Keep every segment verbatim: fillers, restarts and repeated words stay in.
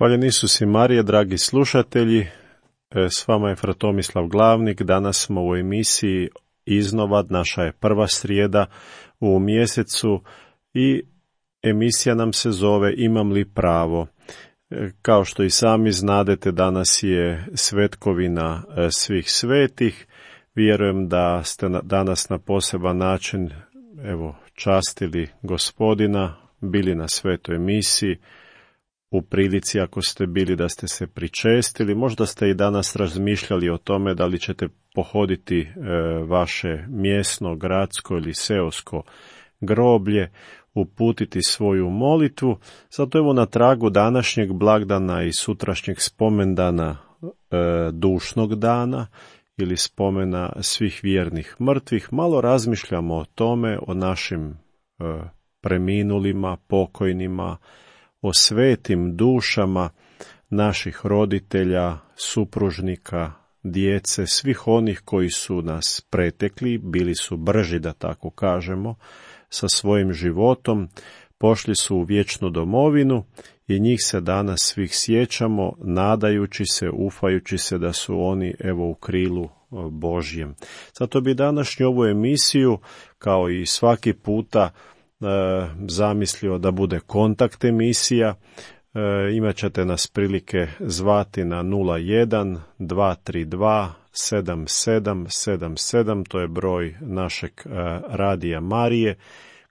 Hvaljen Isus i Marija, dragi slušatelji, s vama je fra Tomislav Glavnik. Danas smo u emisiji Iznova, naša je prva srijeda u mjesecu i emisija nam se zove Imam li pravo? Kao što i sami znadete, danas je svetkovina svih svetih. Vjerujem da ste danas na poseban način evo, častili Gospodina, bili na svetoj misiji, u prilici ako ste bili da ste se pričestili. Možda ste i danas razmišljali o tome da li ćete pohoditi e, vaše mjesno, gradsko ili seosko groblje, uputiti svoju molitvu. Zato evo na tragu današnjeg blagdana i sutrašnjeg spomendana e, dušnog dana ili spomena svih vjernih mrtvih, malo razmišljamo o tome, o našim e, preminulima, pokojnima, o svetim dušama naših roditelja, supružnika, djece, svih onih koji su nas pretekli, bili su brži, da tako kažemo, sa svojim životom, pošli su u vječnu domovinu i njih se danas svih sjećamo, nadajući se, ufajući se da su oni evo u krilu Božjem. Zato bi današnju ovu emisiju, kao i svaki puta, zamislio da bude kontakt emisija. E, imat ćete nas prilike zvati na nula jedan dva tri dva sedam sedam sedam sedam, to je broj našeg e, radija Marije,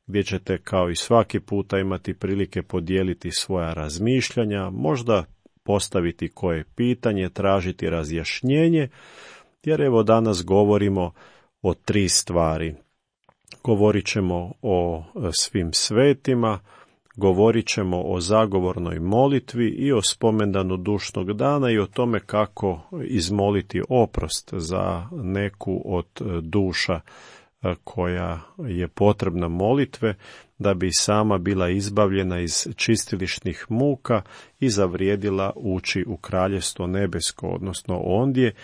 gdje ćete kao i svaki puta imati prilike podijeliti svoja razmišljanja, možda postaviti koje pitanje, tražiti razjašnjenje, jer evo danas govorimo o tri stvari. Govorit ćemo o svim svetima, govorit ćemo o zagovornoj molitvi i o spomendanu dušnog dana i o tome kako izmoliti oprost za neku od duša koja je potrebna molitve da bi sama bila izbavljena iz čistilišnih muka i zavrijedila ući u kraljevstvo nebesko, odnosno ondje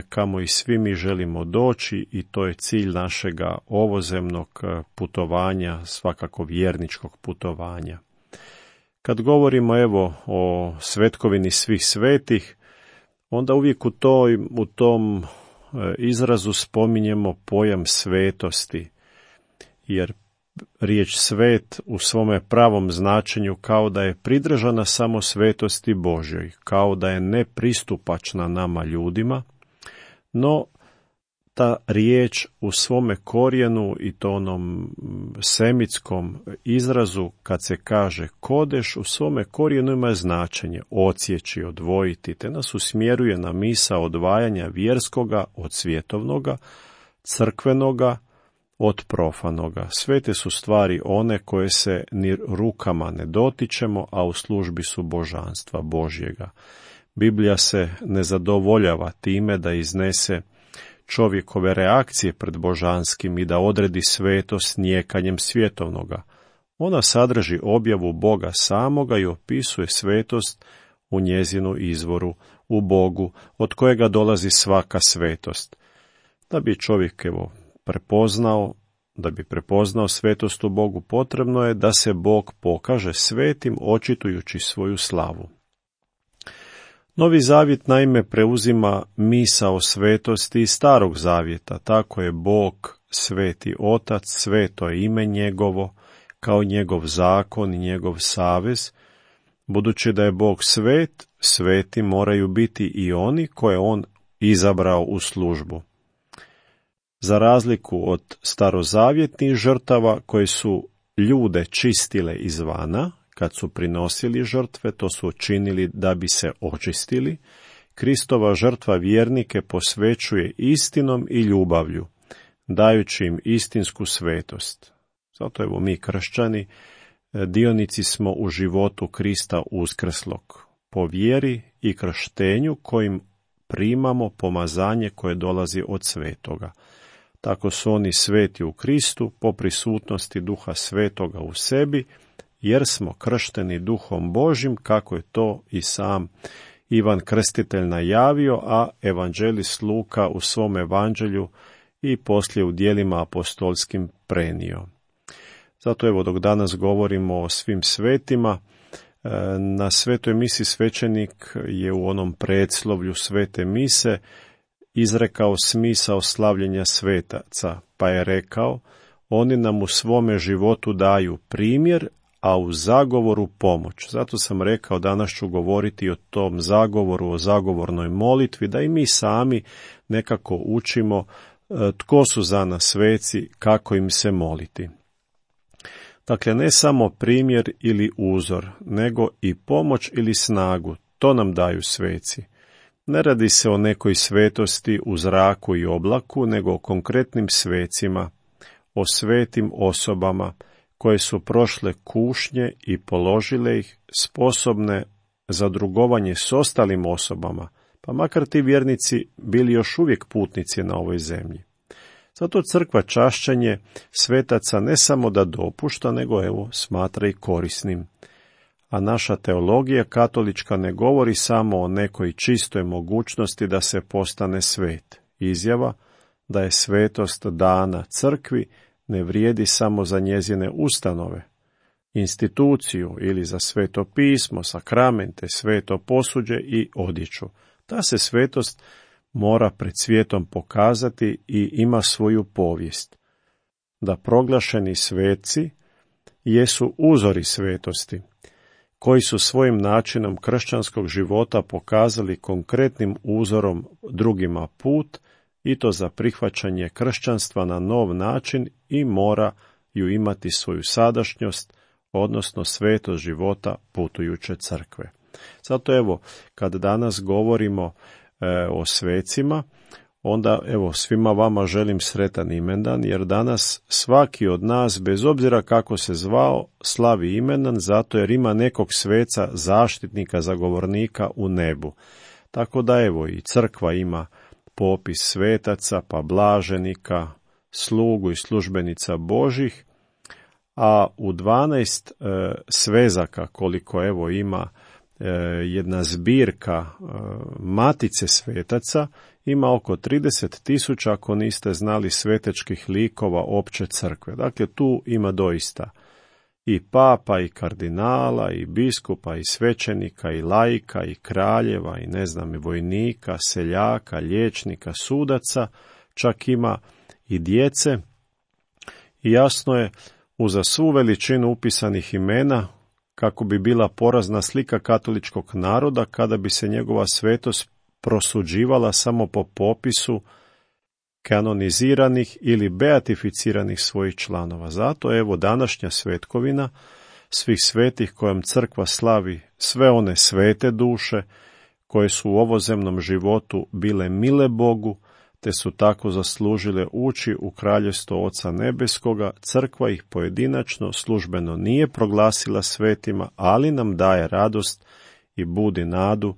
kamo i svi mi želimo doći, i to je cilj našega ovozemnog putovanja, svakako vjerničkog putovanja. Kad govorimo evo o svetkovini svih svetih, onda uvijek u, toj, u tom izrazu spominjemo pojam svetosti, jer riječ svet u svome pravom značenju kao da je pridržana samo svetosti Božjoj, kao da je nepristupačna nama ljudima, no ta riječ u svome korijenu i to onom semitskom izrazu kad se kaže kodeš, u svome korijenu ima značenje odsjeći, odvojiti, te nas usmjeruje na misao odvajanja vjerskoga od svjetovnoga, crkvenoga od profanoga. Svete su stvari one koje se ni rukama ne dotičemo, a u službi su božanstva Božjega. Biblija se ne zadovoljava time da iznese čovjekove reakcije pred božanskim i da odredi svetost nijekanjem svjetovnoga. Ona sadrži objavu Boga samoga i opisuje svetost u njezinu izvoru, u Bogu, od kojega dolazi svaka svetost. Da bi čovjek evo prepoznao, da bi prepoznao svetost u Bogu, potrebno je da se Bog pokaže svetim, očitujući svoju slavu. Novi zavjet naime preuzima misao svetosti iz starog zavjeta, tako je Bog sveti Otac, sveto je ime njegovo, kao njegov zakon i njegov savez. Budući da je Bog svet, sveti moraju biti i oni koje on izabrao u službu. Za razliku od starozavjetnih žrtava koje su ljude čistile izvana, kad su prinosili žrtve, to su činili da bi se očistili, Kristova žrtva vjernike posvećuje istinom i ljubavlju, dajući im istinsku svetost. Zato evo mi kršćani, dionici smo u životu Krista uskrslog, po vjeri i krštenju kojim primamo pomazanje koje dolazi od svetoga. Tako su oni sveti u Kristu po prisutnosti Duha Svetoga u sebi, jer smo kršteni Duhom Božjim, kako je to i sam Ivan Krstitelj najavio, a evanđelist Luka u svom evanđelju i poslije u djelima apostolskim prenio. Zato evo dok danas govorimo o svim svetima, Na svetoj misi svećenik je u onom predslovlju svete mise izrekao smisao slavljenja svetaca, pa je rekao: oni nam u svome životu daju primjer, a u zagovoru pomoć. Zato sam rekao, danas ću govoriti o tom zagovoru, o zagovornoj molitvi, da i mi sami nekako učimo tko su za nas sveci, kako im se moliti. Dakle, ne samo primjer ili uzor, nego i pomoć ili snagu, to nam daju sveci. Ne radi se o nekoj svetosti u zraku i oblaku, nego o konkretnim svecima, o svetim osobama koje su prošle kušnje i položile ih, sposobne za drugovanje s ostalim osobama, pa makar ti vjernici bili još uvijek putnici na ovoj zemlji. Zato crkva čašćenje svetaca ne samo da dopušta, nego evo smatra i korisnim. A naša teologija katolička ne govori samo o nekoj čistoj mogućnosti da se postane svet. Izjava da je svetost dana crkvi ne vrijedi samo za njezine ustanove, instituciju ili za sveto pismo, sakramente, sveto posuđe i odjeću. Ta se svetost mora pred svijetom pokazati i ima svoju povijest. Da proglašeni sveci jesu uzori svetosti, koji su svojim načinom kršćanskog života pokazali konkretnim uzorom drugima put, i to za prihvaćanje kršćanstva na nov način, i moraju imati svoju sadašnjost, odnosno svetost života putujuće crkve. Zato evo, kad danas govorimo e, o svecima, onda evo svima vama želim sretan imendan, jer danas svaki od nas, bez obzira kako se zvao, slavi imendan, zato jer ima nekog sveca, zaštitnika, zagovornika u nebu. Tako da evo i crkva ima popis svetaca, pa blaženika, slugu i službenica Božih, a u dvanaest e, svezaka, koliko evo ima e, jedna zbirka e, matice svetaca, ima oko trideset tisuća, ako niste znali, svetečkih likova opće crkve. Dakle, tu ima doista i papa, i kardinala, i biskupa, i svećenika, i laika, i kraljeva, i ne znam, i vojnika, seljaka, liječnika, sudaca, čak ima i djece. I jasno je, uza svu veličinu upisanih imena, kako bi bila porazna slika katoličkog naroda kada bi se njegova svetost prosuđivala samo po popisu kanoniziranih ili beatificiranih svojih članova. Zato evo današnja svetkovina svih svetih kojom crkva slavi sve one svete duše koje su u ovozemnom životu bile mile Bogu, te su tako zaslužile ući u kraljevstvo Oca Nebeskoga. Crkva ih pojedinačno službeno nije proglasila svetima, ali nam daje radost i budi nadu,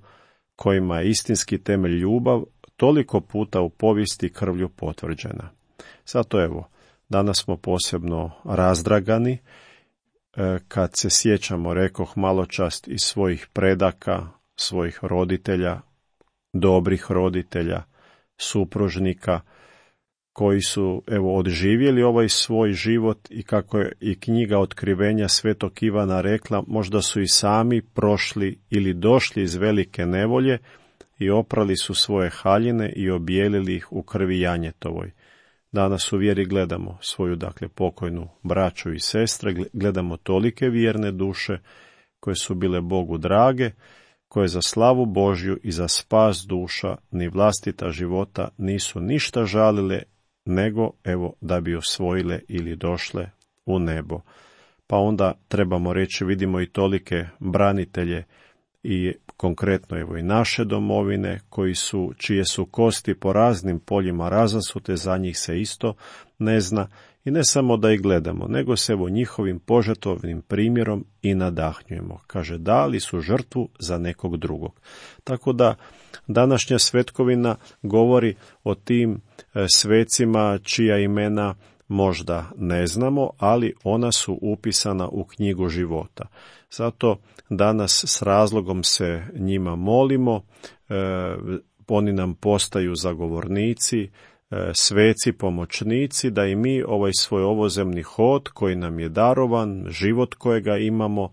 kojima je istinski temelj ljubav toliko puta u povijesti krvlju potvrđena. Zato evo, danas smo posebno razdragani kad se sjećamo, rekoh maločas, iz svojih predaka, svojih roditelja, dobrih roditelja, supružnika, koji su evo odživjeli ovaj svoj život, i kako je i knjiga Otkrivenja svetog Ivana rekla, možda su i sami prošli ili došli iz velike nevolje i oprali su svoje haljine i obijelili ih u krvi janjetovoj. Danas u vjeri gledamo svoju, dakle, pokojnu braću i sestre, gledamo tolike vjerne duše koje su bile Bogu drage, koje za slavu Božju i za spas duša ni vlastita života nisu ništa žalile, nego evo da bi osvojile ili došle u nebo. Pa onda trebamo reći, vidimo i tolike branitelje i konkretno evo i naše domovine, koji su, čije su kosti po raznim poljima razasute, za njih se isto ne zna, i ne samo da ih gledamo, nego se evo njihovim požrtvovnim primjerom i nadahnjujemo. Kaže, dali su žrtvu za nekog drugog. Tako da današnja svetkovina govori o tim svecima čija imena možda ne znamo, ali ona su upisana u knjigu života. Zato danas s razlogom se njima molimo, e, oni nam postaju zagovornici, e, sveci, pomoćnici, da i mi ovaj svoj ovozemni hod koji nam je darovan, život kojega imamo,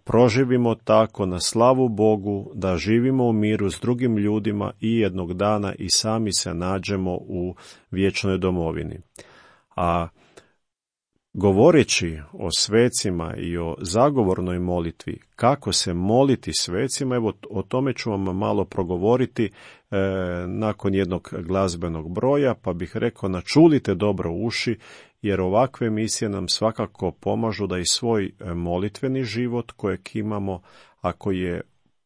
proživimo tako na slavu Bogu, da živimo u miru s drugim ljudima i jednog dana i sami se nađemo u vječnoj domovini. A govoreći o svecima i o zagovornoj molitvi, kako se moliti svecima, evo o tome ću vam malo progovoriti e, nakon jednog glazbenog broja, pa bih rekao načulite dobro uši, jer ovakve emisije nam svakako pomažu da i svoj molitveni život kojeg imamo, ako je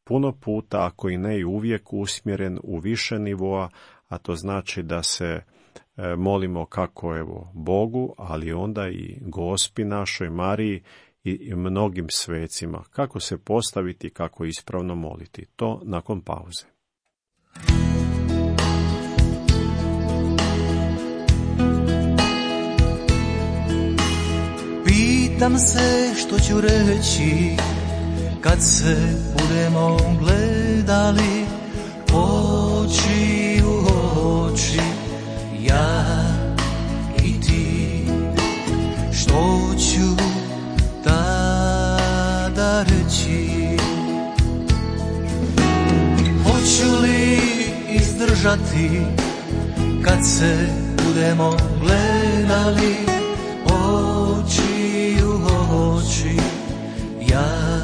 puno puta, ako i ne i uvijek usmjeren u više nivoa, a to znači da se molimo kako evo Bogu, ali onda i Gospi našoj Mariji i mnogim svecima. Kako se postaviti, kako ispravno moliti. To nakon pauze. Pitam se što ću reći kad se budemo gledali oči u oči, ja i ti. Što ću tada reći? Hoću li izdržati kad se budemo gledali oči u oči, ja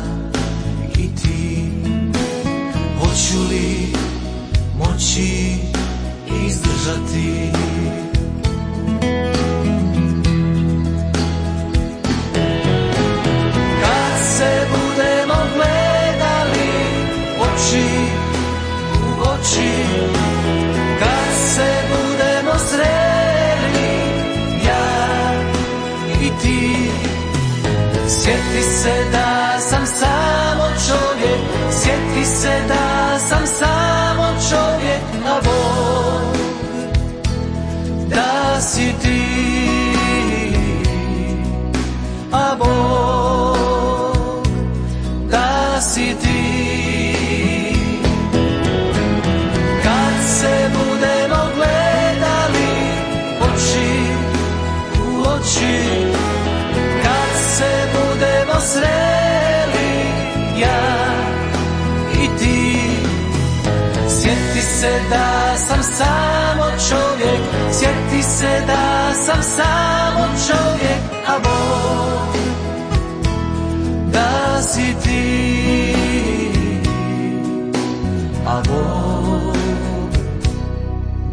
i ti? Hoću li moći izdržati? Kad se budemo gledali oči u oči, kad se budemo sreli ja i ti, sjeti se da sam samo čovjek, sjeti se da sam samo čovjek, a Bog da si ti, a Bog da si ti. Kad se budemo gledali oči u oči, kad se budemo sreli ja i ti, sjeti se da sam samo čovjek, sjeti se da sam samo čovjek, a Bog da si ti, a Bog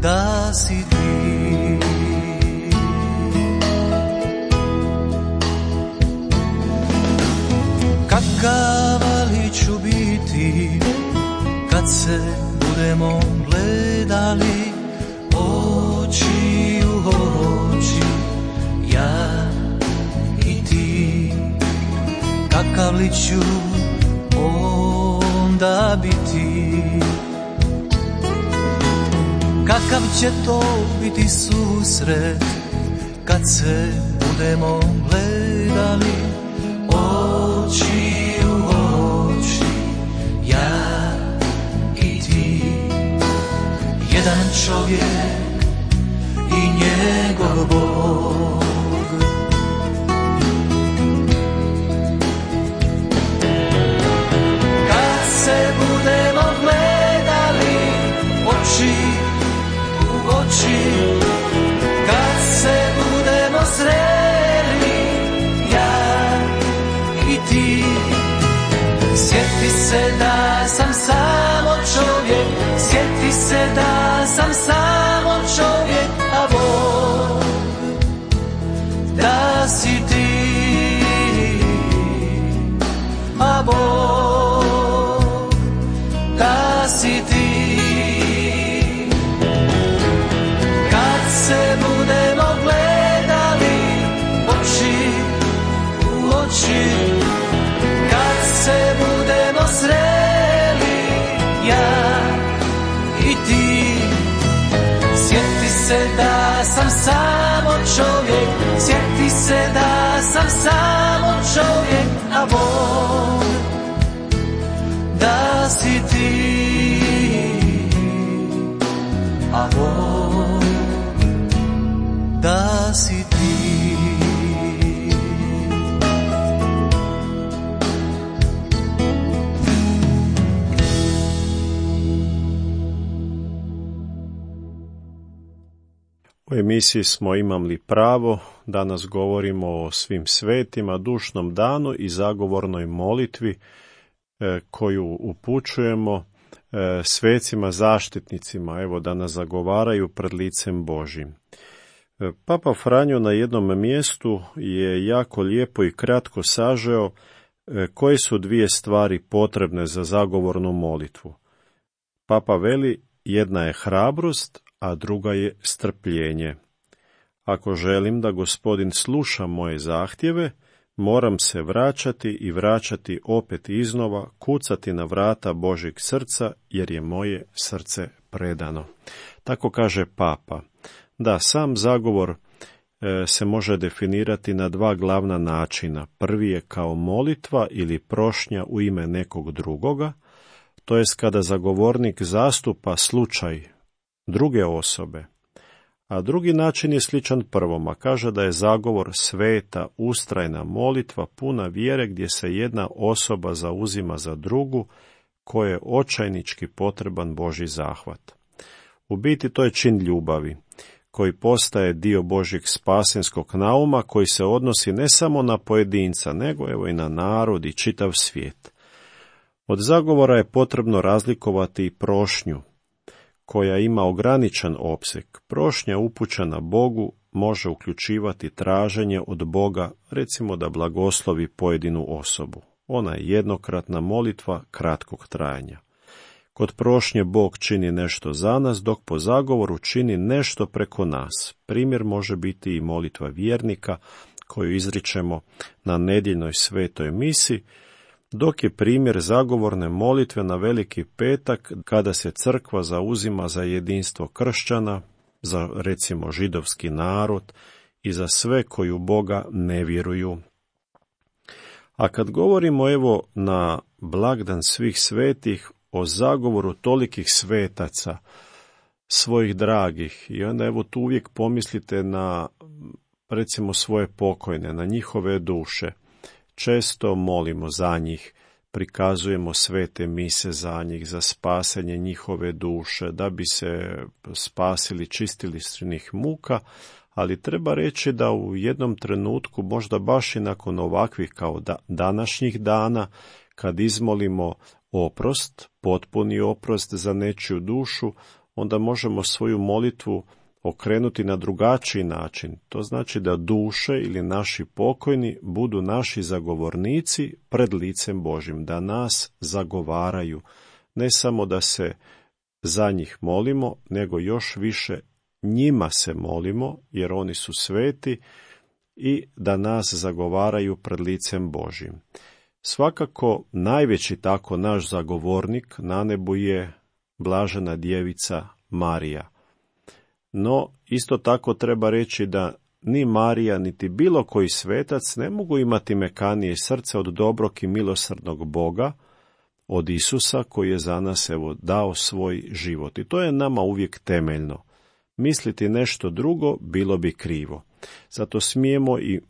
da si ti. Kakav li ću biti kad se budemo gledali oči u oči, ja i ti? Kakav li ću onda biti? Kakav će to biti susret kad se budemo gledali oči u oči, ja i ti? Jedan čovjek i njegov Bog. Kad se budemo gledali oči u oči, kad se budemo sreli ja i ti, sjeti se da sam samo čovjek, sjeti se da sam samo čovjek, a Bog da si ti, a Bog da si ti. Kad se budemo gledali oči u oči, kad se budemo sreli ja i ti, sjeti se da sam samo čovjek, sjeti se da sam samo čovjek, a Bog da si ti, a Bog da si ti. U emisiji smo Imam pravo, danas govorimo o svim svetima, dušnom danu i zagovornoj molitvi e, koju upućujemo e, svecima zaštitnicima, evo da nas zagovaraju pred licem Božjim. E, Papa Franjo na jednom mjestu je jako lijepo i kratko sažeo e, koje su dvije stvari potrebne za zagovornu molitvu. Papa veli, jedna je hrabrost, a druga je strpljenje. Ako želim da Gospodin sluša moje zahtjeve, moram se vraćati i vraćati opet iznova, kucati na vrata Božjeg srca, jer je moje srce predano. Tako kaže Papa. Da, sam zagovor e, se može definirati na dva glavna načina. Prvi je kao molitva ili prošnja u ime nekog drugoga, to jest kada zagovornik zastupa slučaj druge osobe. A drugi način je sličan prvom, a kaže da je zagovor sveta, ustrajna molitva, puna vjere gdje se jedna osoba zauzima za drugu, koje je očajnički potreban Božji zahvat. U biti to je čin ljubavi, koji postaje dio Božjeg spasenskog nauma, koji se odnosi ne samo na pojedinca, nego evo i na narod i čitav svijet. Od zagovora je potrebno razlikovati i prošnju, koja ima ograničen opseg. Prošnja upućena Bogu može uključivati traženje od Boga, recimo da blagoslovi pojedinu osobu. Ona je jednokratna molitva kratkog trajanja. Kod prošnje Bog čini nešto za nas, dok po zagovoru čini nešto preko nas. Primjer može biti i molitva vjernika koju izričemo na nedjeljnoj svetoj misi, dok je primjer zagovorne molitve na Veliki petak kada se crkva zauzima za jedinstvo kršćana, za recimo židovski narod i za sve koji u Boga ne vjeruju. A kad govorimo evo na blagdan svih svetih o zagovoru tolikih svetaca, svojih dragih, i onda evo tu uvijek pomislite na recimo svoje pokojne, na njihove duše. Često molimo za njih, prikazujemo svete mise za njih, za spasenje njihove duše, da bi se spasili, čistili svih muka, ali treba reći da u jednom trenutku, možda baš i nakon ovakvih kao da, današnjih dana, kad izmolimo oprost, potpuni oprost za nečiju dušu, onda možemo svoju molitvu okrenuti na drugačiji način. To znači da duše ili naši pokojni budu naši zagovornici pred licem Božjim, da nas zagovaraju. Ne samo da se za njih molimo, nego još više njima se molimo, jer oni su sveti, i da nas zagovaraju pred licem Božjim. Svakako najveći tako naš zagovornik na nebu je blažena djevica Marija. No, isto tako treba reći da ni Marija, niti bilo koji svetac ne mogu imati mekanije srce od dobrog i milosrdnog Boga, od Isusa koji je za nas evo dao svoj život. I to je nama uvijek temeljno. Misliti nešto drugo bilo bi krivo. Zato smijemo i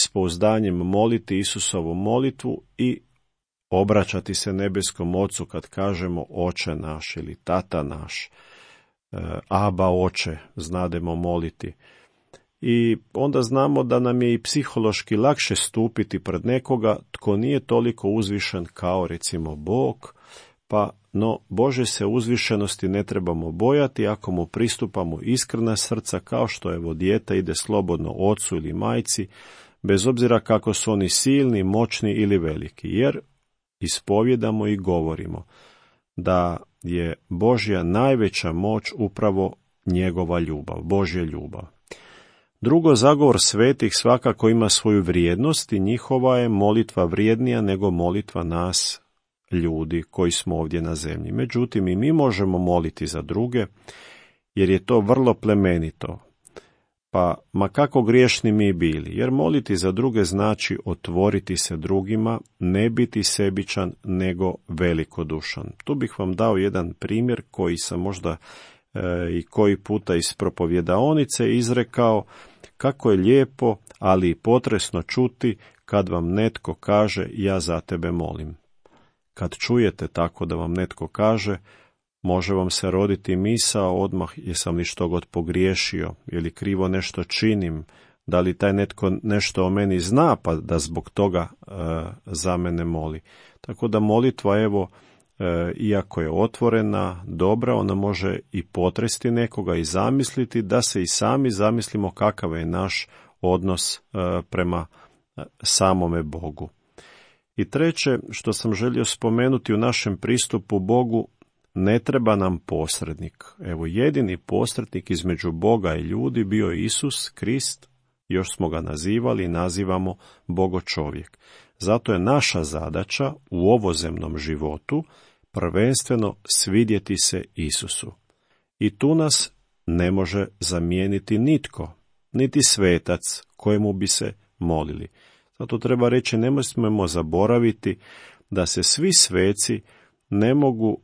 s pouzdanjem moliti Isusovu molitvu i obraćati se nebeskom Ocu kad kažemo Oče naš ili Tata naš. Aba Oče, znademo moliti. I onda znamo da nam je i psihološki lakše stupiti pred nekoga tko nije toliko uzvišen kao recimo Bog, pa no Bože se uzvišenosti ne trebamo bojati ako mu pristupamo iskrena srca, kao što evo dijete ide slobodno ocu ili majci, bez obzira kako su oni silni, moćni ili veliki, jer ispovjedamo i govorimo da je Božja najveća moć upravo njegova ljubav, Božja ljubav. Drugo, zagovor svetih svakako ima svoju vrijednost i njihova je molitva vrijednija nego molitva nas, ljudi koji smo ovdje na zemlji. Međutim, i mi možemo moliti za druge, jer je to vrlo plemenito. Pa, ma kako griješni mi bili, jer moliti za druge znači otvoriti se drugima, ne biti sebičan, nego velikodušan. Tu bih vam dao jedan primjer koji sam možda e, i koji puta iz propovjedaonice izrekao, kako je lijepo, ali i potresno čuti kad vam netko kaže ja za tebe molim. Kad čujete tako da vam netko kaže, Može vam se roditi misao odmah, jesam li što god pogriješio, ili krivo nešto činim, da li taj netko nešto o meni zna, pa da zbog toga e, za mene moli. Tako da molitva, evo, e, iako je otvorena, dobra, ona može i potresti nekoga i zamisliti, da se i sami zamislimo kakav je naš odnos e, prema samome Bogu. I treće, što sam želio spomenuti u našem pristupu Bogu, ne treba nam posrednik. Evo, jedini posrednik između Boga i ljudi bio je Isus Krist, još smo ga nazivali i nazivamo Bogo čovjek. Zato je naša zadaća u ovozemnom životu prvenstveno svidjeti se Isusu. I tu nas ne može zamijeniti nitko, niti svetac kojemu bi se molili. Zato treba reći, ne smijemo zaboraviti da se svi sveci ne mogu,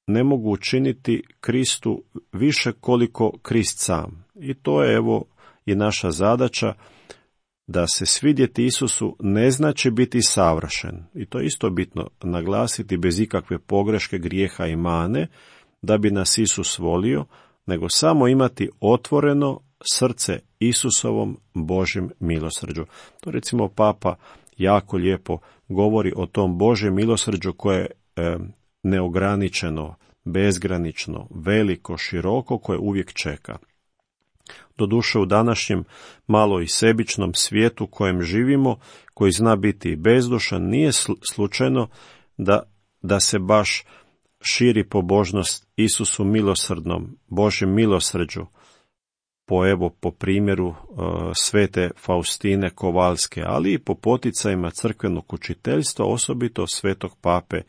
ne mogu učiniti Kristu više koliko Krist sam. I to je, evo, i naša zadaća, da se svidjeti Isusu ne znači biti savršen. I to je isto bitno naglasiti, bez ikakve pogreške, grijeha i mane, da bi nas Isus volio, nego samo imati otvoreno srce Isusovom Božjem milosrđu. To recimo Papa jako lijepo govori o tom Božjem milosrđu koje je e, neograničeno, bezgranično, veliko, široko, koje uvijek čeka. Doduše, u današnjem malo i sebičnom svijetu kojem živimo, koji zna biti i bezdušan, nije slučajno da, da se baš širi pobožnost Isusu milosrdnom, Božjem milosrđu, po, evo, po primjeru uh, svete Faustine Kovalske, ali i po poticajima crkvenog učiteljstva, osobito svetog pape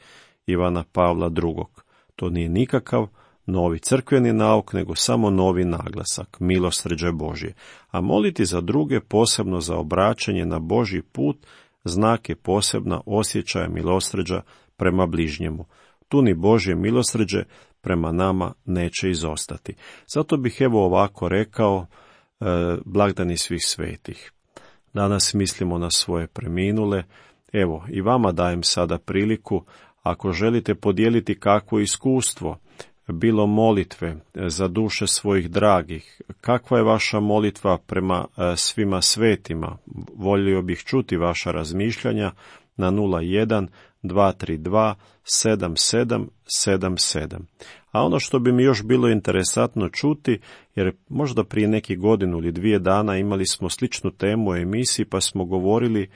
Ivana Pavla drugog. To nije nikakav novi crkveni nauk, nego samo novi naglasak, milosrđe Božje. A moliti za druge, posebno za obraćanje na Božji put, znak je posebna osjećaja milosrđa prema bližnjemu. Tu ni Božje milosrđe prema nama neće izostati. Zato bih, evo, ovako rekao, e, blagdani svih svetih. Danas mislimo na svoje preminule. Evo, i vama dajem sada priliku, ako želite podijeliti kakvo iskustvo, bilo molitve za duše svojih dragih, kakva je vaša molitva prema svima svetima, volio bih čuti vaša razmišljanja na nula jedan dva tri dva sedam sedam sedam sedam. A ono što bi mi još bilo interesantno čuti, jer možda prije neki godinu ili dvije dana imali smo sličnu temu u emisiji, pa smo govorili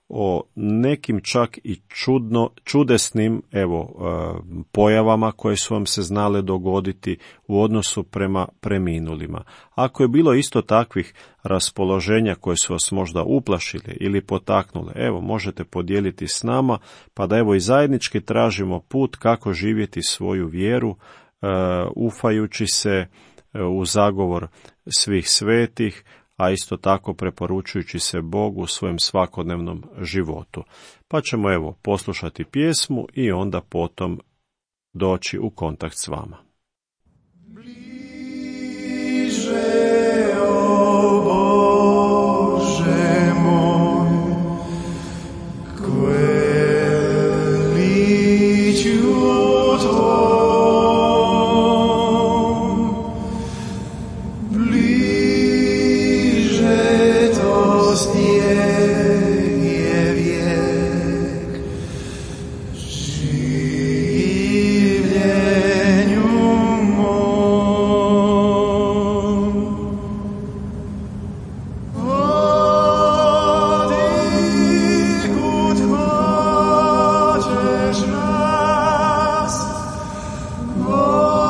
o nekim čak i čudno, čudesnim, evo, pojavama koje su vam se znale dogoditi u odnosu prema preminulima. Ako je bilo isto takvih raspoloženja koje su vas možda uplašile ili potaknule, evo, možete podijeliti s nama, pa da, evo, i zajednički tražimo put kako živjeti svoju vjeru, ufajući se u zagovor svih svetih, a isto tako preporučujući se Bogu u svojem svakodnevnom životu. Pa ćemo, evo, poslušati pjesmu i onda potom doći u kontakt s vama. Bliže, o Bože moj, kveliću Tvojom, bliže to stijeg vijek, življenju mom. Odi kud hoćeš nas, odi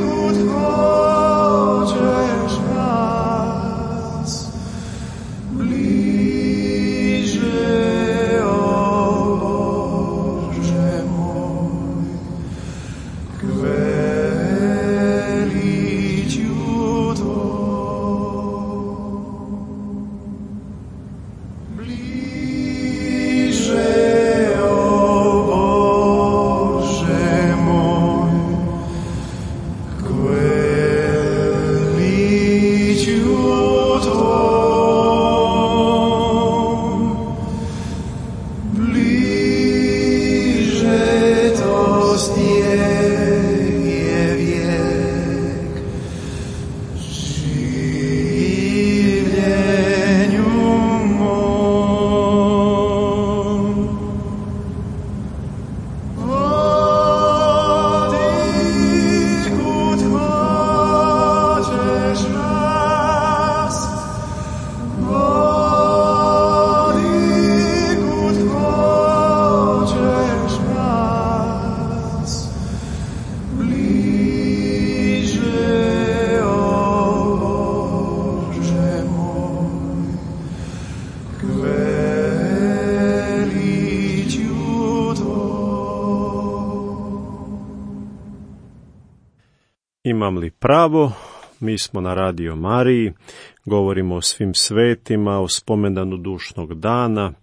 kud hoćeš nas, bliže, o Bože moj, kveliću Tvojom. Bliže, o Bože moj, kveliću Tvojom, bliže to milost je, je vijek, življenju mom. Odi kud hoćeš nas, odi kud hoćeš nas, bliže, o Bože moj, k veličju Imam li pravo? Mi smo na Radio Mariji, govorimo o svim svetima, o spomendanu dušnog dana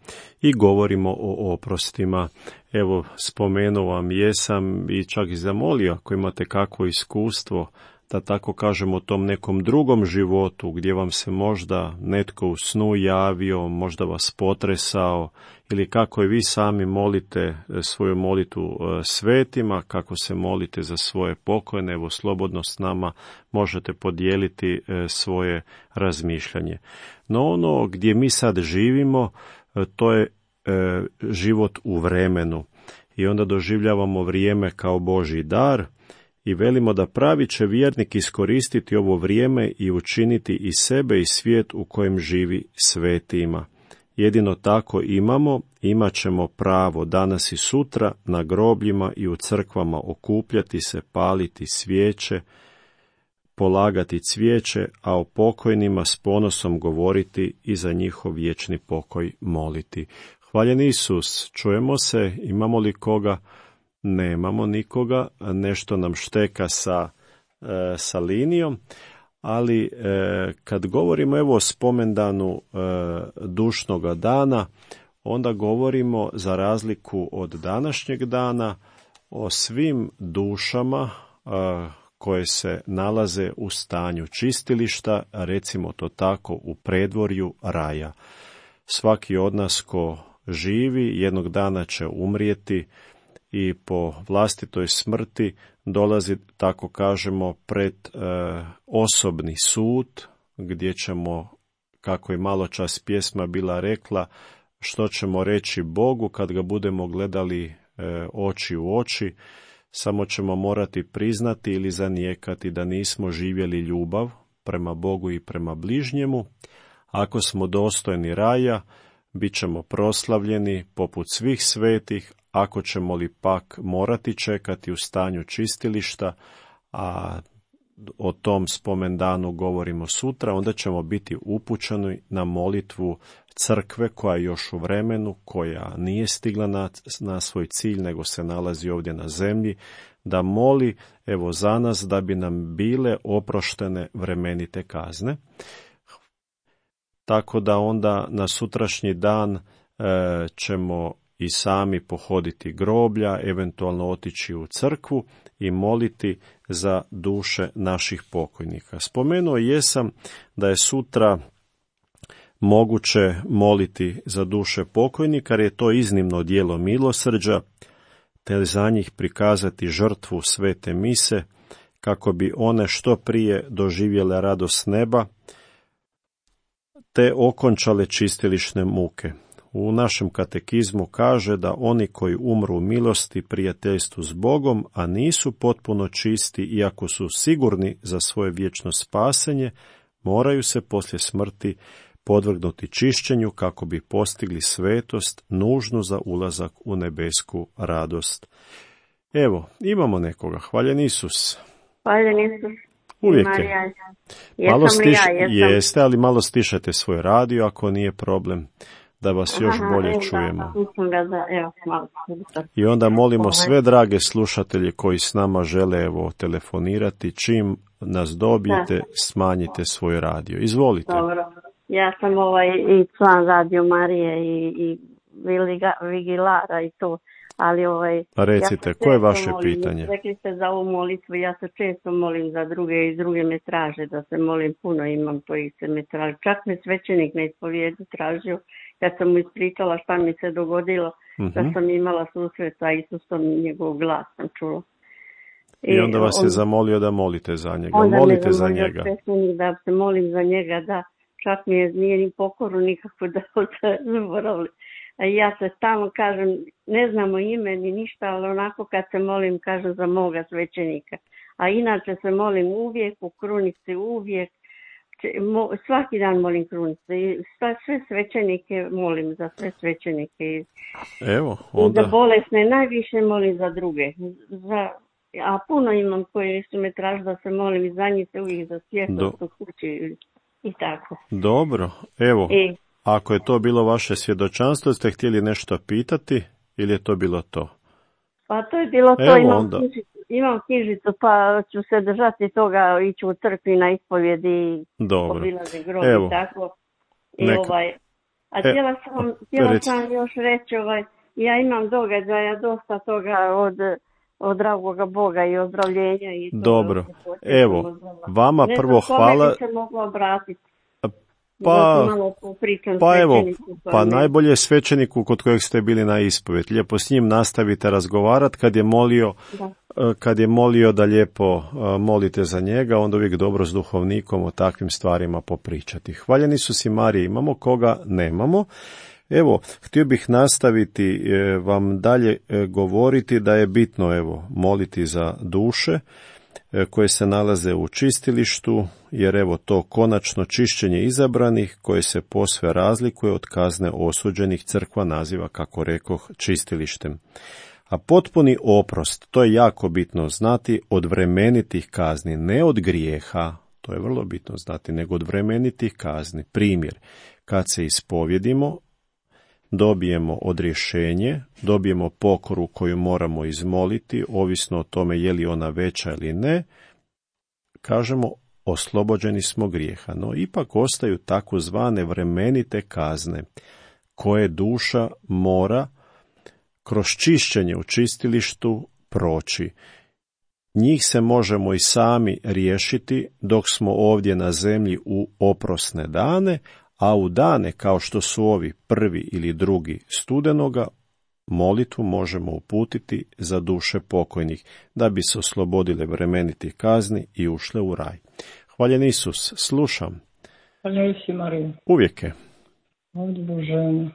i govorimo o oprostima. Evo, spomenuo vam jesam i čak i zamolio, ako imate kakvo iskustvo, da tako kažemo o tom nekom drugom životu, gdje vam se možda netko u snu javio, možda vas potresao, ili kako i vi sami molite svoju molitvu svetima, kako se molite za svoje pokojne, evo slobodno s nama možete podijeliti svoje razmišljanje. No ono gdje mi sad živimo, to je život u vremenu i onda doživljavamo vrijeme kao Božji dar i velimo da pravi će vjernik iskoristiti ovo vrijeme i učiniti i sebe i svijet u kojem živi svetima. Jedino tako imamo, imat ćemo pravo danas i sutra na grobljima i u crkvama okupljati se, paliti svijeće, polagati cvijeće, a o pokojnima s ponosom govoriti i za njihov vječni pokoj moliti. Hvaljen Isus, čujemo se, imamo li koga? Nemamo nikoga, nešto nam šteka sa, e, sa linijom, ali e, kad govorimo evo o spomendanu e, dušnoga dana, onda govorimo za razliku od današnjeg dana o svim dušama e, koje se nalaze u stanju čistilišta, recimo to tako u predvorju raja. Svaki od nas ko živi jednog dana će umrijeti i po vlastitoj smrti dolazi, tako kažemo, pred e, osobni sud, gdje ćemo, kako je malo čas pjesma bila rekla, što ćemo reći Bogu kad ga budemo gledali e, oči u oči, samo ćemo morati priznati ili zanijekati da nismo živjeli ljubav prema Bogu i prema bližnjemu. Ako smo dostojni raja, bit ćemo proslavljeni poput svih svetih. Ako ćemo li pak morati čekati u stanju čistilišta, a o tom spomendanu govorimo sutra, onda ćemo biti upućeni na molitvu crkve koja je još u vremenu, koja nije stigla na, na svoj cilj, nego se nalazi ovdje na zemlji, da moli evo za nas da bi nam bile oproštene vremenite kazne. Tako da onda na sutrašnji dan e, ćemo i sami pohoditi groblja, eventualno otići u crkvu i moliti za duše naših pokojnika. Spomenuo jesam da je sutra moguće moliti za duše pokojnika, jer je to iznimno djelo milosrđa, te za njih prikazati žrtvu svete mise, kako bi one što prije doživjele radost neba, te okončale čistilišne muke. U našem katekizmu kaže da oni koji umru u milosti, prijateljstvu s Bogom, a nisu potpuno čisti, iako su sigurni za svoje vječno spasenje, moraju se poslije smrti podvrgnuti čišćenju kako bi postigli svetost nužnu za ulazak u nebesku radost. Evo, imamo nekoga. Hvaljen Isus. Hvaljen Isus. Uvijek Marija, je. jesam Malo stiš, ja, jesam. Jeste, ali malo stišajte svoj radio ako nije problem, da vas još Aha, bolje evo, čujemo. Da, mislim ga da, evo, malo. I onda molimo Ovaj. sve drage slušatelje koji s nama žele evo telefonirati, čim nas dobijete, smanjite svoj radio. Izvolite. Dobro. Ja sam ovaj i član Radio Marije i, i Viliga, Vigilara i to, ali ovaj... Pa recite, ja koje je vaše molim, pitanje? Rekli ste za ovu molitvu, ja se često molim za druge i druge me traže da se molim puno, imam koji se me traže. Čak me svećenik na ispovjedu tražio kad sam mu ispričala šta mi se dogodilo, Mhm. da sam imala susret sa Isusom i njegov glas sam čula. I onda vas je on- zamolio da molite za njega. Onda Molite me za zamolio njega. svećenik da se molim za njega, da čak mi je, nije ni pokoru nikako da zaboravili. A ja se stalno kažem, ne znamo ime ni ništa, ali onako kad se molim kažem za moga svećenika. A inače se molim uvijek, u krunici uvijek, Če- mo, svaki dan molim krunice i sve, sve svećenike molim, za sve svećenike. I, Evo, i za onda... bolesne najviše molim za druge. Za, a puno imam koji su me tražili da se molim i za njih se uvijek za Do- svjetlost u kući i, i tako. Dobro, evo, I, ako je to bilo vaše svjedočanstvo, ste htjeli nešto pitati ili je to bilo to? pa to je bilo to, Evo imam, onda. knjižicu, imam knjižicu pa ću se držati toga, ići u crkvi na ispovjedi i Dobro. obilazi grob Evo. i tako. I Neka- ovaj, a E, htjela sam, htjela reci. sam još reći, ovaj, ja imam događaja dosta toga od, od dragoga Boga i ozdravljenja i to. Dobro. se podsjećam Evo, od Boga. vama Ne prvo znam kome hvala. bi se mogla obratiti. Pa, Da malo popričam pa evo, svećeniku, pa ne- najbolje je svećeniku kod kojeg ste bili na ispovjed. Lijepo s njim nastavite razgovarati kad je molio, Da. e, kad je molio da lijepo e, molite za njega, onda uvijek dobro s duhovnikom o takvim stvarima popričati. Hvaljeni su si Marije, imamo koga? Nemamo. Evo, htio bih nastaviti e, vam dalje e, govoriti da je bitno, evo, moliti za duše e, koje se nalaze u čistilištu, jer evo to konačno čišćenje izabranih koje se posve razlikuje od kazne osuđenih, crkva naziva, kako rekoh, čistilištem. A potpuni oprost, to je jako bitno znati, od vremenitih kazni, ne od grijeha, to je vrlo bitno znati, nego od vremenitih kazni. Primjer, kad se ispovjedimo, dobijemo odrješenje, dobijemo pokoru koju moramo izmoliti, ovisno o tome je li ona veća ili ne, kažemo oslobođeni smo grijeha, no ipak ostaju takozvane vremenite kazne koje duša mora kroz čišćenje u čistilištu proći. Njih se možemo i sami riješiti dok smo ovdje na zemlji u oprosne dane, a u dane kao što su ovi prvi ili drugi studenoga, molitvu možemo uputiti za duše pokojnih, da bi se oslobodile vremenitih kazni i ušle u raj. Hvaljen Isus, slušam. Hvala si, Marija. Uvijek je. Ovdje Božena.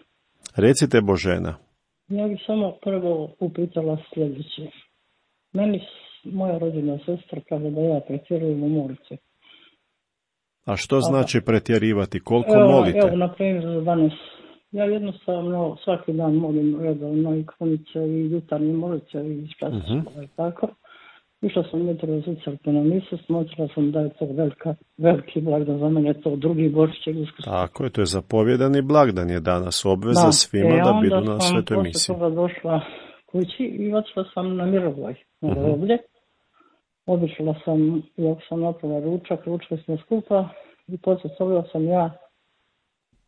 Recite Božena. Ja bih samo prvo upitala sljedeće. Meni s- moja rođena sestra kaže da ja pretjerujem u molici. A što znači pretjerivati? Koliko Evo, molite? evo, na primjer, danas ja jednostavno svaki dan molim redovno i krunice i jutarnje molice i časova Mhm. i tako. Išla sam jutro u crkvu na misu, smotrila sam da je to velika, veliki blagdan za mene, to drugi Božić i Uskrs. Tako je, to je zapovjedani blagdan je danas obveza Da, svima e, da onda budu na sam svetoj posle misi. toga došla kući i otišla sam na Mirovoj, na Mhm. groblje. Obišla sam, iako sam napravila ručak, ručali smo skupa i poslije toga sam ja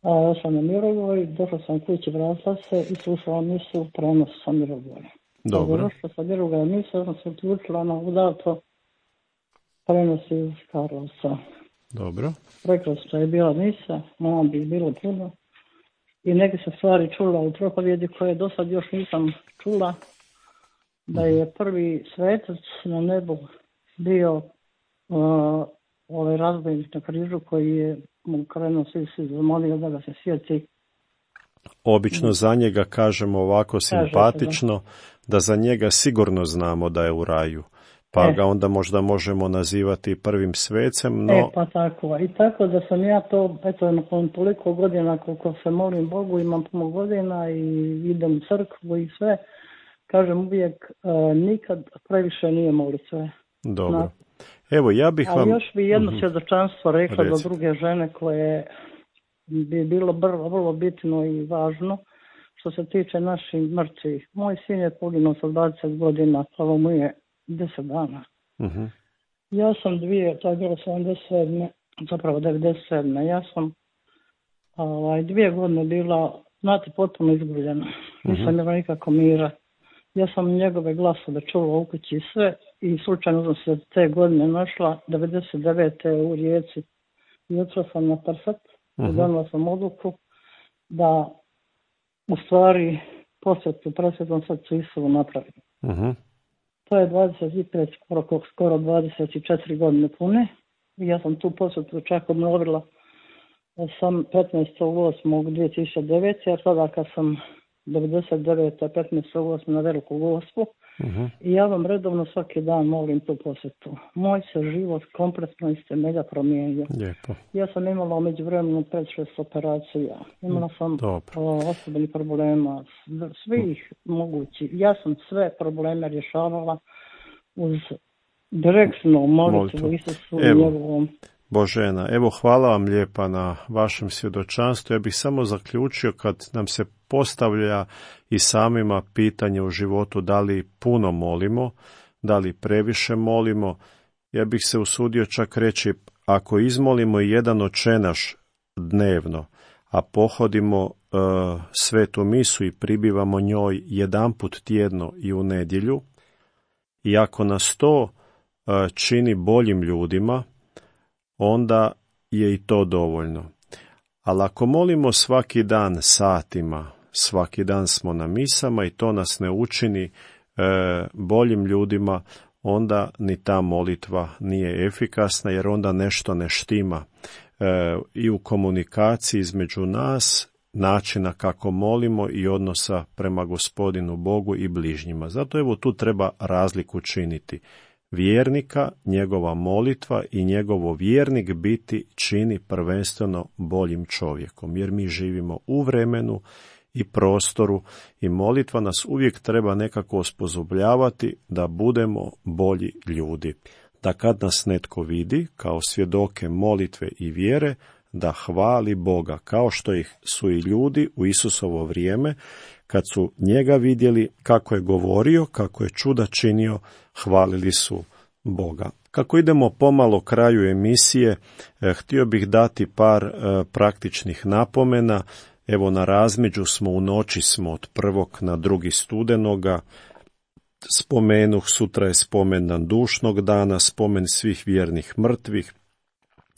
a, ošla na Mirovoj, došla sam kući, vratila se i slušala misu prenos sa Mirovoja. Dobro, Došla sa Mirovoja misu, ja sam se uključila na udato prenos iz Karlovca. dobro. Prekrasna je bila misa, mama bi bilo puno. I neke se stvari čula u propovjedi koje do sad još nisam čula. Da je prvi svetac na nebu bio uh, ovaj razbojnik na križu koji je mu krenuo svi se zamolio da ga se sjeti. Obično za njega kažemo ovako simpatično, da za njega sigurno znamo da je u raju, pa E. ga onda možda možemo nazivati prvim svecem, no E pa tako. I tako da sam ja to, eto, nakon toliko godina koliko se molim Bogu, imam puno godina i idem u crkvu i sve, kažem uvijek, uh, nikad previše nije molitve. dobro. No. Evo, ja bih Ali vam... još bi jedno Mhm. svjedočanstvo rekla Reci. do druge žene koje bi bilo vrlo, vrlo bitno i važno što se tiče naših mrtvih. Moj sin je poginuo sa dvadeset godina, pravo mu je deset dana. Mhm. Ja sam dvije, to je bilo sedamdeset sedme, zapravo devedeset sedme. Ja sam ovaj, dvije godine bila, znate, potpuno izgubljena. Nisam Mhm. imala nikako mira. Ja sam njegove glasove čula u kući i sve i slučajno sam se te godine našla devedeset devete u Rijeci i otišla sam na Prsat i Mhm. donijela sam odluku da u stvari posvetu presvetom srcu Isuvu napravim. Uh-huh. To je dvadeset pet, skoro, skoro dvadeset četiri godine pune. Ja sam tu posvetu čak obnovila sam petnaestog osmog dvije tisuće devete, jer sada kad sam devedeset devete petnaestog osmog na Veliku Gospu, uh-huh. i ja vam redovno svaki dan molim tu posvetu. Moj se život kompletno iz temelja promijenio. Lijepo. Ja sam imala među vremenu pet šest operacija. Imala sam osobnih problema, svih mogućih. Ja sam sve probleme rješavala uz direktno molitvu Isusu i njegovom. Božena, evo hvala vam lijepa na vašem svjedočanstvu. Ja bih samo zaključio kad nam se postavlja i samima pitanje u životu da li puno molimo, da li previše molimo. Ja bih se usudio čak reći, ako izmolimo jedan očenaš dnevno, a pohodimo uh, svetu misu i pribivamo njoj jedanput tjedno i u nedjelju, i ako nas to uh, čini boljim ljudima, onda je i to dovoljno. Ali ako molimo svaki dan satima, svaki dan smo na misama i to nas ne učini e, boljim ljudima, onda ni ta molitva nije efikasna, jer onda nešto ne štima e, i u komunikaciji između nas, načina kako molimo i odnosa prema Gospodinu Bogu i bližnjima. Zato evo tu treba razliku činiti. Vjernika, njegova molitva i njegovo vjernik biti čini prvenstveno boljim čovjekom, jer mi živimo u vremenu i prostoru i molitva nas uvijek treba nekako osposobljavati da budemo bolji ljudi. Da kad nas netko vidi kao svjedoke molitve i vjere, da hvali Boga, kao što ih su i ljudi u Isusovo vrijeme, kad su njega vidjeli kako je govorio, kako je čuda činio, hvalili su Boga. Kako idemo pomalo kraju emisije, eh, htio bih dati par eh, praktičnih napomena. Evo, na razmeđu smo, u noći smo od prvog na drugi studenoga. Spomenuh, sutra je spomen dan dušnog dana, spomen svih vjernih mrtvih.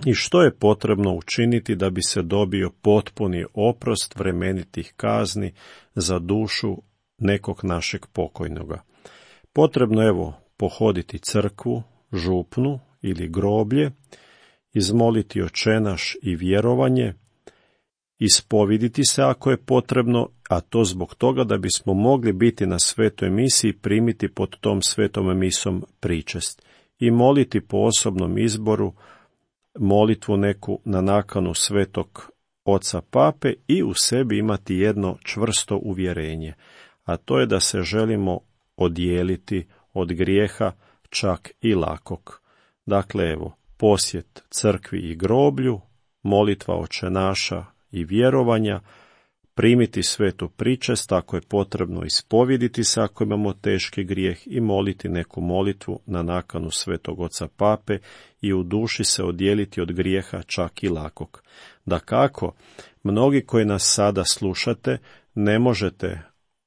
I što je potrebno učiniti da bi se dobio potpuni oprost vremenitih kazni za dušu nekog našeg pokojnoga? Potrebno, evo, pohoditi crkvu, župnu ili groblje, izmoliti očenaš i vjerovanje, ispoviditi se ako je potrebno, a to zbog toga da bismo mogli biti na svetoj misi i primiti pod tom svetom misom pričest, i moliti po osobnom izboru molitvu neku na nakanu svetog oca pape i u sebi imati jedno čvrsto uvjerenje, a to je da se želimo odijeliti od grijeha, čak i lakog. Dakle, evo, posjet crkvi i groblju, molitva očenaša i vjerovanja, primiti svetu pričest ako je potrebno, ispoviditi se ako imamo teški grijeh i moliti neku molitvu na nakanu svetog oca pape i u duši se odijeliti od grijeha, čak i lakog. Dakako, mnogi koji nas sada slušate, ne možete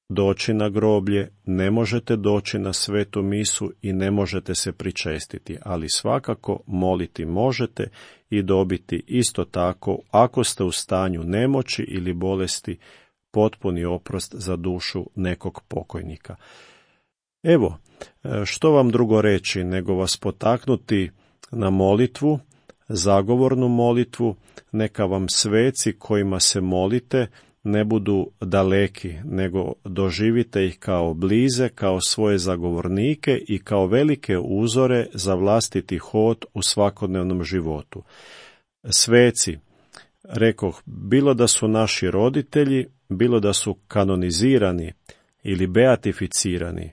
doći na groblje, ne možete doći na svetu misu i ne možete se pričestiti, ali svakako moliti možete i dobiti isto tako, ako ste u stanju nemoći ili bolesti, potpuni oprost za dušu nekog pokojnika. Evo, što vam drugo reći nego vas potaknuti na molitvu, zagovornu molitvu, neka vam sveci kojima se molite ne budu daleki, nego doživite ih kao blize, kao svoje zagovornike i kao velike uzore za vlastiti hod u svakodnevnom životu. Sveci, rekoh, bilo da su naši roditelji, bilo da su kanonizirani ili beatificirani,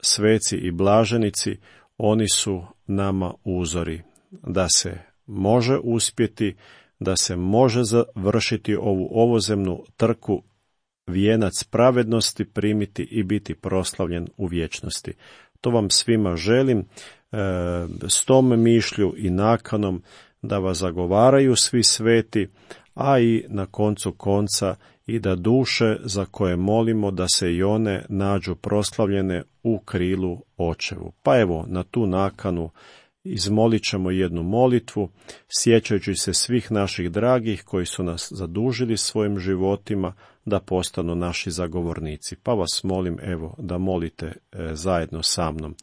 sveci i blaženici, oni su nama uzori, da se može uspjeti, da se može završiti ovu ovozemnu trku, vijenac pravednosti primiti i biti proslavljen u vječnosti. To vam svima želim, e, s tom mišlju i nakanom da vas zagovaraju svi sveti, a i na koncu konca i da duše za koje molimo da se i one nađu proslavljene u krilu očevu. Pa evo, na tu nakanu izmolit ćemo jednu molitvu, sjećajući se svih naših dragih koji su nas zadužili svojim životima da postanu naši zagovornici. Pa vas molim, evo, da molite e, zajedno sa mnom.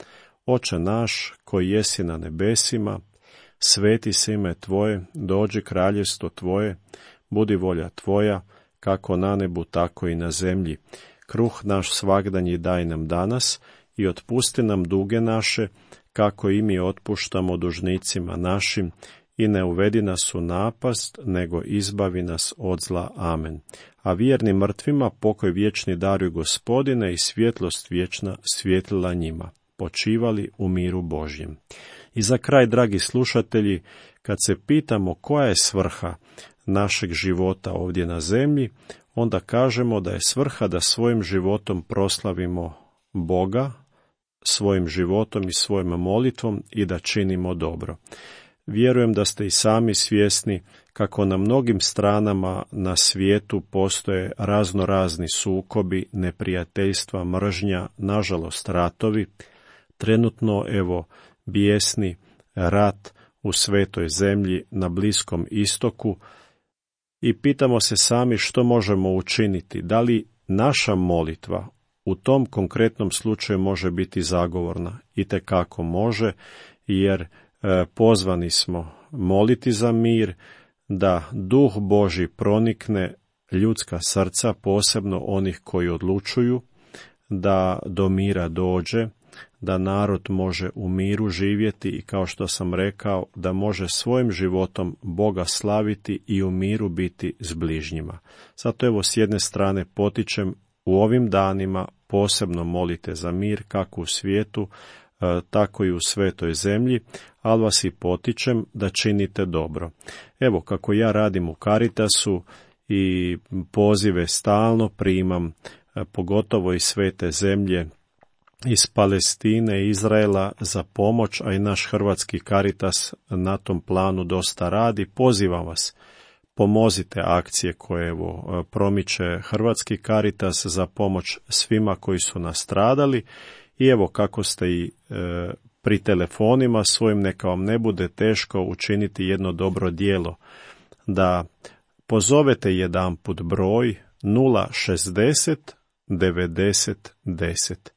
Oče naš, koji jesi na nebesima, sveti se ime Tvoje, dođi kraljevstvo Tvoje, budi volja Tvoja, kako na nebu, tako i na zemlji. Kruh naš svagdanji daj nam danas i otpusti nam duge naše, kako i mi otpuštamo dužnicima našim, i ne uvedi nas u napast, nego izbavi nas od zla. Amen. A vjernim mrtvima pokoj vječni daruj Gospodine i svjetlost vječna svjetlila njima. Počivali u miru Božjem. I za kraj, dragi slušatelji, kad se pitamo koja je svrha našeg života ovdje na zemlji, onda kažemo da je svrha da svojim životom proslavimo Boga, svojim životom i svojom molitvom i da činimo dobro. Vjerujem da ste i sami svjesni kako na mnogim stranama na svijetu postoje razno razni sukobi, neprijateljstva, mržnja, nažalost ratovi. Trenutno, evo, bijesni rat u svetoj zemlji na Bliskom istoku i pitamo se sami što možemo učiniti. Da li naša molitva u tom konkretnom slučaju može biti zagovorna? Itekako može, jer e, pozvani smo moliti za mir, da duh Božji pronikne ljudska srca, posebno onih koji odlučuju, da do mira dođe, da narod može u miru živjeti i, kao što sam rekao, da može svojim životom Boga slaviti i u miru biti s bližnjima. Zato evo, s jedne strane potičem, u ovim danima posebno molite za mir, kako u svijetu, tako i u svetoj zemlji, ali vas i potičem da činite dobro. Evo, kako ja radim u Caritasu i pozive stalno primam, pogotovo iz svete zemlje, iz Palestine i Izraela za pomoć, a i naš hrvatski Caritas na tom planu dosta radi. Pozivam vas, pomozite akcije koje evo promiče hrvatski Caritas za pomoć svima koji su nastradali. I evo, kako ste i e, pri telefonima svojim, neka vam ne bude teško učiniti jedno dobro djelo, da pozovete jedanput broj nula šezdeset devedeset deset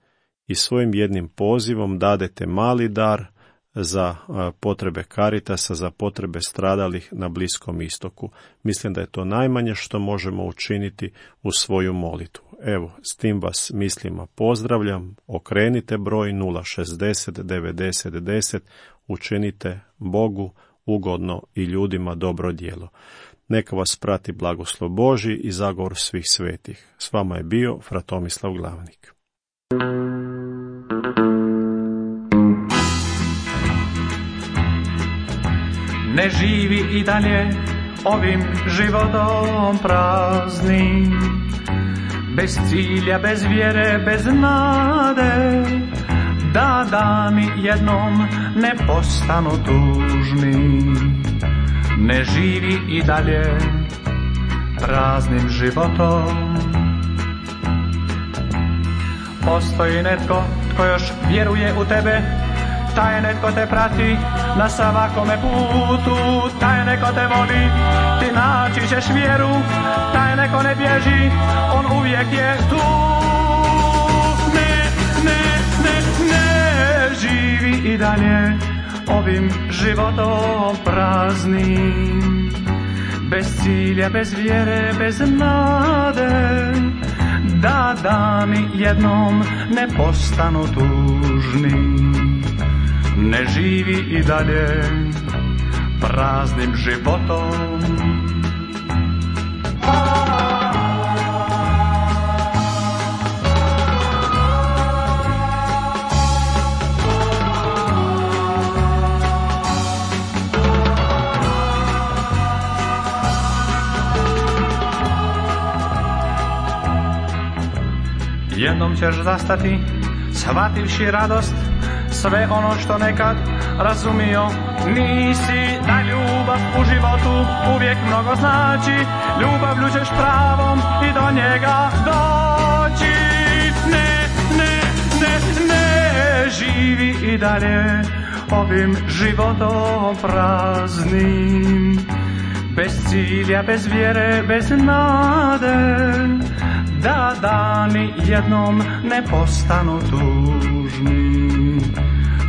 i svojim jednim pozivom dadete mali dar za potrebe Caritasa, za potrebe stradalih na Bliskom istoku. Mislim da je to najmanje što možemo učiniti u svoju molitvu. Evo, s tim vas mislima pozdravljam, okrenite broj nula šezdeset devedeset deset, učinite Bogu ugodno i ljudima dobro djelo. Neka vas prati blagoslov Božji i zagovor svih svetih. S vama je bio fra Tomislav Glavnik. Ne živi i dalje ovim životom praznim, bez cilja, bez vjere, bez nade, da dani jednom ne postanu tužni. Ne živi i dalje praznim životom. Postoji netko tko još vjeruje u tebe, taj netko te prati na svakome putu, taj neko te voli, ti naći ćeš vjeru, taj neko ne bježi, on uvijek je tu. Ne, ne, ne, ne živi i dalje ovim životom praznim, bez cilja, bez vjere, bez nade, da dani jednom ne postanu tužni. Ne živi i dalje praznim životom. Jednom ćeš zastati, shvativši radost, sve ono što nekad razumio nisi, da ljubav u životu uvijek mnogo znači, ljubavlju ćeš pravom i do njega doći. Ne, ne, ne, ne živi i dalje ovim životom praznim, bez cilja, bez vjere, bez nade, da dani jednom ne postanu tužni,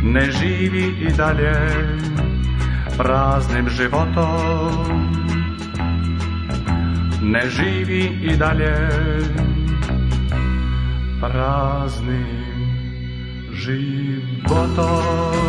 ne živi i dalje praznim životom, ne živi i dalje praznim životom.